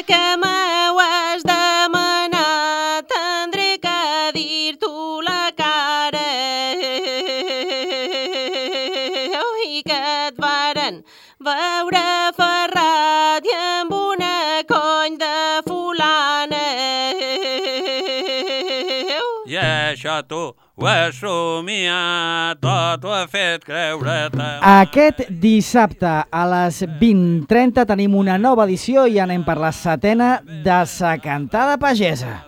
que m'ho has demanat, tindré que dir-t'ho la cara. I que et varen veure ferrat i amb una cony de fulana. I això tu ho has somiat, tot ho ha fet creure-te. Aquest dissabte a les 20:30 tenim una nova edició i anem per la 7ª de Sa Cantada Pagesa.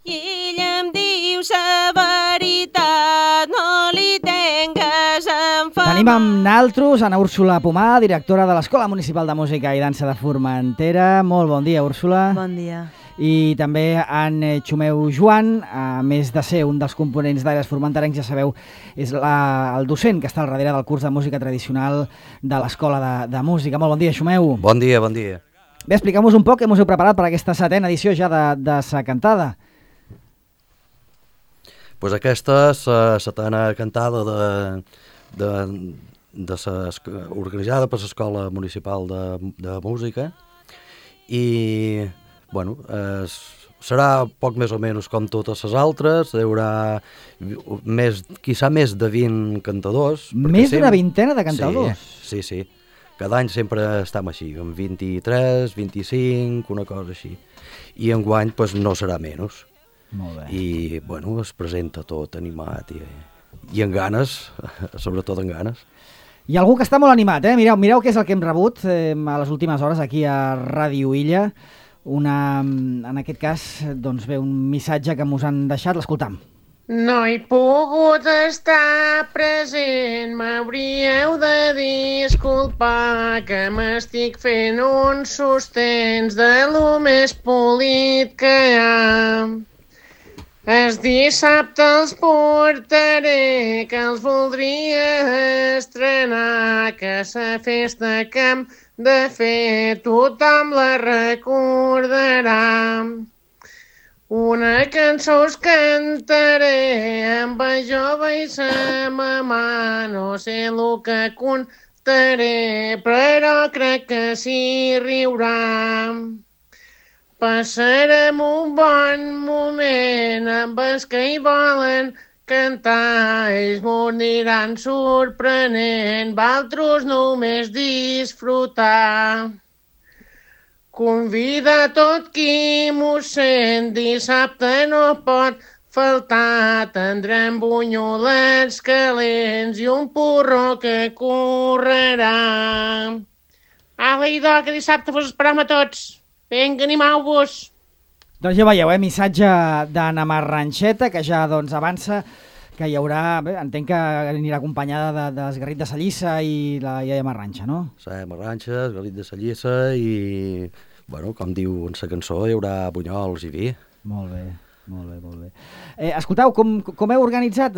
I ell em diu la veritat, no li tingues enfamat. Tenim amb naltros Ana Úrsula Pomar, directora de l'Escola Municipal de Música i Dansa de Formentera. Molt bon dia, Úrsula. Bon dia. I també en Xumeu Joan, a més de ser un dels components d'Aires Formenterencs, ja sabeu, és el docent que està al darrere del curs de música tradicional de l'Escola de Música. Molt bon dia, Xumeu. Bon dia, bon dia. Bé, expliqueu-nos un poc què us heu preparat per aquesta 7ª edició ja de Sa Cantada. Pues aquesta és la 7ª cantada organitzada per l'Escola Municipal de Música i bueno, serà poc més o menys com totes les altres, hi haurà quizà més de 20 cantadors. Més d'una vintena de cantadors? Sí. Cada any sempre estem així, amb 23, 25, una cosa així. I enguany pues, no serà menys. Molt bé. I bueno, es presenta tot animat i amb ganes, sobretot amb ganes. Hi ha algú que està molt animat, eh? Mireu què és el que hem rebut a les últimes hores aquí a Ràdio Illa. En aquest cas, doncs ve un missatge que mos han deixat, l'escoltam. No he pogut estar present, m'hauríeu de disculpar que m'estic fent uns sostens de lo més polit que hi ha. El dissabte els portaré, que els voldria estrenar, que la festa que hem de fer tothom la recordarà. Una cançó us cantaré amb el jove i la mamà, no sé el que contaré, però crec que s'hi riurà. Passarem un bon moment amb els que hi volen cantar, ells m'ho aniran sorprenent, valtros només disfrutar. Convida a tot qui m'ho sent, dissabte no pot faltar, tindrem bunyolets calents i un porró que correrà. Ala, idò, que dissabte vos esperam a tots. Vinga, animau-vos! Doncs ja veieu, missatge d'Anna Marranxeta, que ja avança que hi haurà, bé, entenc que anirà acompanyada d'Esgarrit de Sallissa i la iaia Marranxa, no? La Marranxa, Esgarrit de Sallissa i, bueno, com diu en la cançó, hi haurà bunyols i vi. Molt bé. Escolteu, com heu organitzat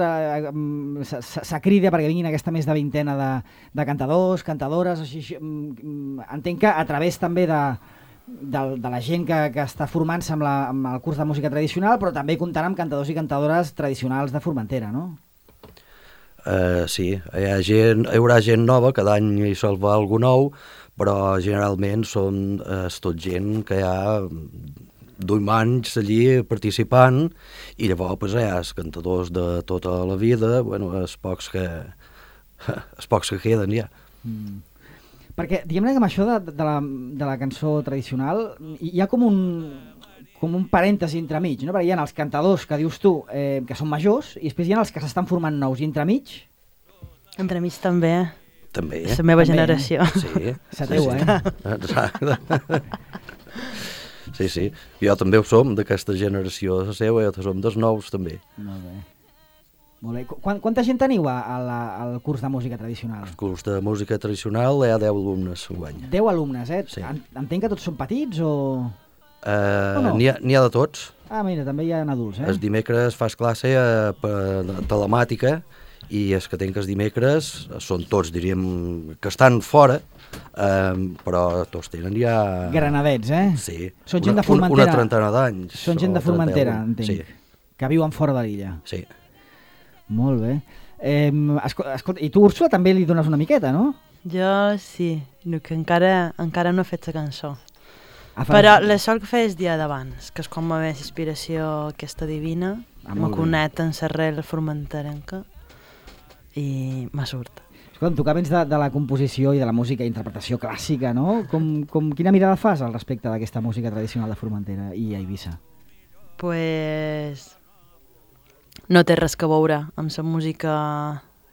sa crida perquè vinguin aquesta més de vintena de cantadors, cantadores, així, entenc que a través també de la gent que està formant-se amb el curs de música tradicional, però també comptant amb cantadors i cantadores tradicionals de Formentera, no? Sí, hi haurà gent nova, cada any hi sol va algú nou, però generalment són tot gent que hi ha d'1 anys allí participant i llavors pues, hi ha els cantadors de tota la vida, bueno, els pocs que queden ja. Perquè, diguem-ne que amb això de la cançó tradicional hi ha com un parèntesi entremig, no? Perquè hi ha els cantadors que dius tu, que són majors, i després hi ha els que s'estan formant nous, i entremig? Entremig també. També, la meva generació. Sí. La teua, Exacte. Sí. Jo també ho som, d'aquesta generació de la seva, jo som dels nous també. Molt bé. Quanta gent teniu al curs de música tradicional? Al curs de música tradicional hi ha 10 alumnes enguany. 10 alumnes, eh? Sí. Entenc que tots són petits o no? N'hi ha de tots. Ah, mira, també hi ha adults, eh? Els dimecres fas classe per telemàtica i els que tenen els dimecres són tots, diríem, que estan fora, però tots tenen ja... Granadets, eh? Sí. Són gent de Formentera. Una trentena d'anys. Són gent de Formentera, entenc. Sí. Que viuen fora de l'illa. Sí. Molt bé. Escolta, i tu, Úrsula, també li dones una miqueta, no? Jo sí, el que encara no he fet la cançó. Però la sol que feia el dia d'abans, que és com la meva inspiració aquesta divina, me connecta en l'arrel formenterenca i me surt. Escolta'm, tu que vens de la composició i de la música i interpretació clàssica, no? Quina mirada fas al respecte d'aquesta música tradicional de Formentera i a Eivissa? Pues no té res que veure amb la música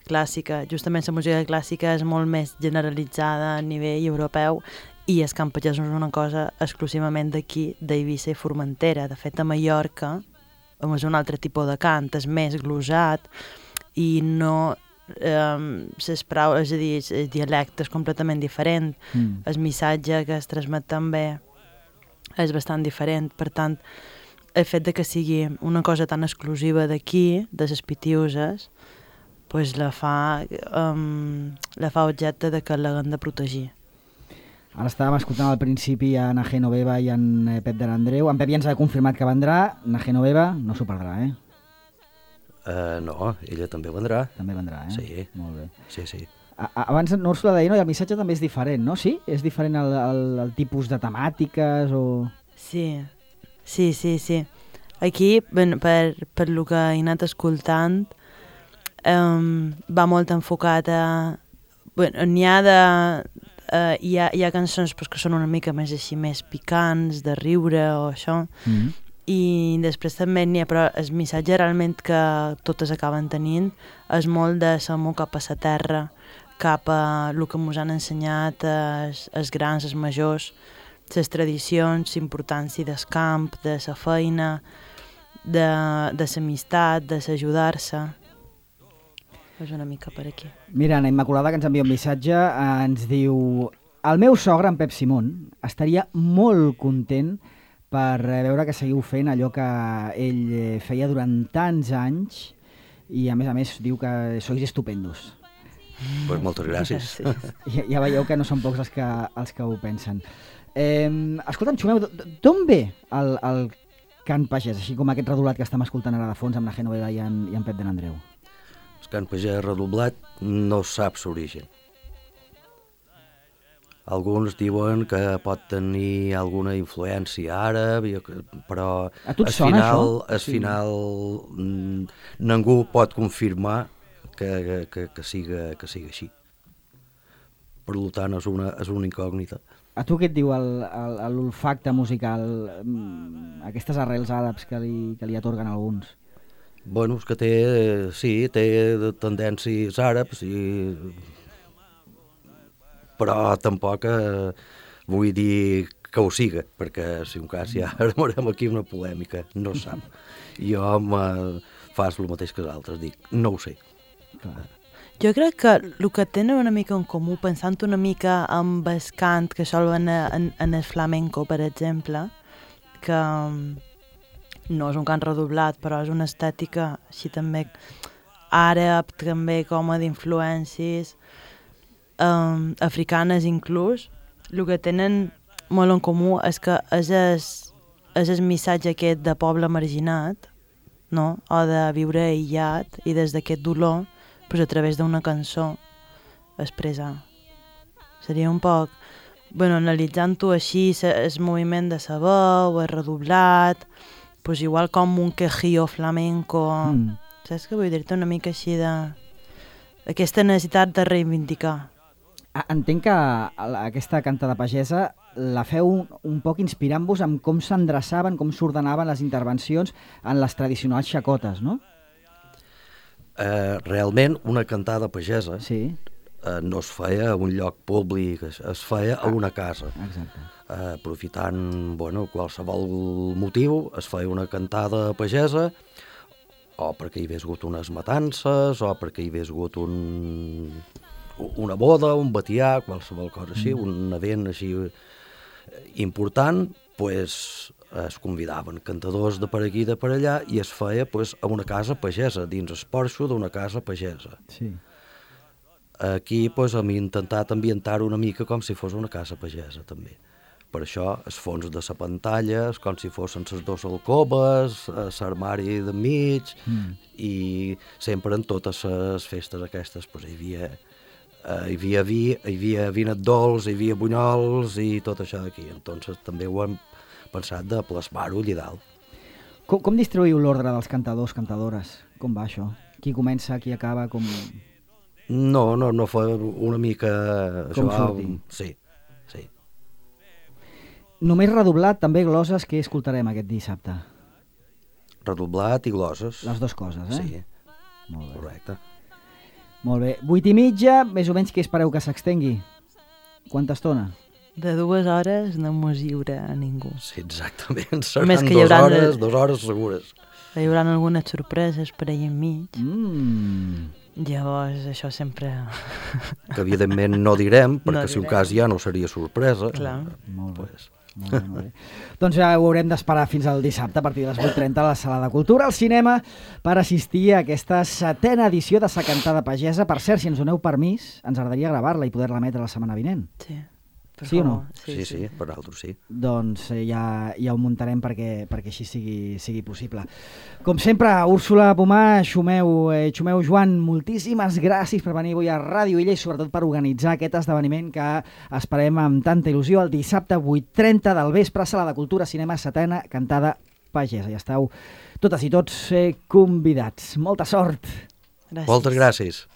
clàssica. Justament la música clàssica és molt més generalitzada a nivell europeu i el cant pagès és una cosa exclusivament d'aquí, d'Eivissa i Formentera. De fet, a Mallorca és un altre tipus de cant, és més glosat i no... les paraules, és a dir, el dialecte és completament diferent. El missatge que es transmet també és bastant diferent. Per tant, el fet de que sigui una cosa tan exclusiva d'aquí, de les Pitiuses, pues la fa objecte de que l'haguem de protegir. Ara estàvem escoltant al principi a Na Genoveva i en Pep de l'Andreu. En Pep ja ens ha confirmat que vendrà. Na Genoveva no s'ho perdrà, eh? No, ella també vendrà. També vendrà, eh? Sí. Molt bé. Sí. Abans no us ho deia, no? I el missatge també és diferent, no? Sí? És diferent el tipus de temàtiques o... Sí. Aquí, per lo que he anat escoltant, va molt enfocat a... N'hi ha cançons que són una mica més així, més picants, de riure o això, i després també n'hi ha, però el missatge realment que totes acaben tenint és molt de l'amor cap a la terra, cap a el que ens han ensenyat els grans, els majors, les tradicions, l'importància del camp, de la feina, de l'amistat, de l'ajudar-se. És una mica per aquí. Mira, Anna Immaculada, que ens envia un missatge, ens diu: el meu sogre, en Pep Simón, estaria molt content per veure que seguiu fent allò que ell feia durant tants anys i a més diu que sois estupendos. Pues moltes gràcies. Ja veieu que no són pocs els que ho pensen. Escolta'm, Xumeu, d'on ve el cant pagès, així com aquest redolat que estem escoltant ara de fons amb la Genoveva i en Pep de l'Andreu? El cant pagès redoblat no saps l'origen. Alguns diuen que pot tenir alguna influència àrab, però al final ningú pot confirmar que siga així. Per tant, és una incògnita. A tu què et diu l'olfacte musical, aquestes arrels àrabs que li atorguen alguns? Bueno, és que té tendències àrabs, però tampoc vull dir que ho siga, perquè si un cas ja armarem aquí una polèmica, no se sap. Jo fas el mateix que els altres, dic, no ho sé. Clar. Jo crec que el que tenen una mica en comú, pensant una mica amb el cant que sol en el flamenco, per exemple, que no és un cant redoblat, però és una estètica així també àrab, també com a d'influències africanes inclús, el que tenen molt en comú és que és el missatge aquest de poble marginat, no? O de viure aïllat i des d'aquest dolor, pues, a través d'una cançó expressar. Seria un poc, analitzant-ho així, el moviment de la veu, el redoblat, pues igual com un quejío flamenco, saps què vull dir-te? Una mica així aquesta necessitat de reivindicar. Entenc que aquesta cantada pagesa la feu un poc inspirant-vos amb com s'endreçaven, com s'ordenaven les intervencions en les tradicionals xacotes, no? Realment, una cantada pagesa no es feia a un lloc públic, es feia a una casa. Exacte. Aprofitant qualsevol motiu, es feia una cantada pagesa, o perquè hi hagués hagut unes matances, o perquè hi hagués hagut una boda, un batià, qualsevol cosa així, un event així important, pues, es convidaven cantadors de per aquí i de per allà i es feia a una casa pagesa, dins el porxo d'una casa pagesa. Sí. Aquí hem intentat ambientar una mica com si fos una casa pagesa també. Per això el fons de la pantalla és com si fossin les dues alcoves, l'armari de mig, i sempre en totes les festes aquestes hi havia hi havia vi, hi havia vinet dolç, hi havia bunyols i tot això d'aquí. Entonces també ho hem pensat de plasmar-ho allà dalt. Com distribuïu l'ordre dels cantadors, cantadores? Com va això? Qui comença, qui acaba, com... No fa una mica... Com surti. Sí. Només redoblat, també gloses, que escoltarem aquest dissabte? Redoblat i gloses. Les dues coses, eh? Sí, Molt bé. correcte. Molt bé. 8:30, més o menys, què espereu que s'extengui? Quanta estona? De 2 hores no mos lliure a ningú. Sí, exactament. Seran Més que hi 2 haurà hores, 2 hores segures. Hi haurà algunes sorpreses per allà enmig. Mm. Llavors, això sempre... Que evidentment no direm, perquè No si un direm. cas ja no seria sorpresa. Clar. Molt bé. Pues, Molt bé, molt bé. Doncs ja ho haurem d'esperar fins al dissabte a partir de les 8:30 a la Sala de Cultura al cinema per assistir a aquesta 7a edició de Sa Cantada Pagesa. Per cert, si ens doneu permís, ens agradaria gravar-la i poder-la emetre la setmana vinent. Sí. Per Sí o no? favor. sí, per altres sí. Doncs ja ho muntarem perquè així sigui possible. Com sempre, Úrsula Pomar, Xumeu Joan, moltíssimes gràcies per venir avui a Ràdio Illa i sobretot per organitzar aquest esdeveniment que esperem amb tanta il·lusió el dissabte 8:30 del vespre, Sala de Cultura, Cinema, 7a Cantada Pagesa. Ja esteu totes i tots convidats. Molta sort! Gràcies. Moltes gràcies.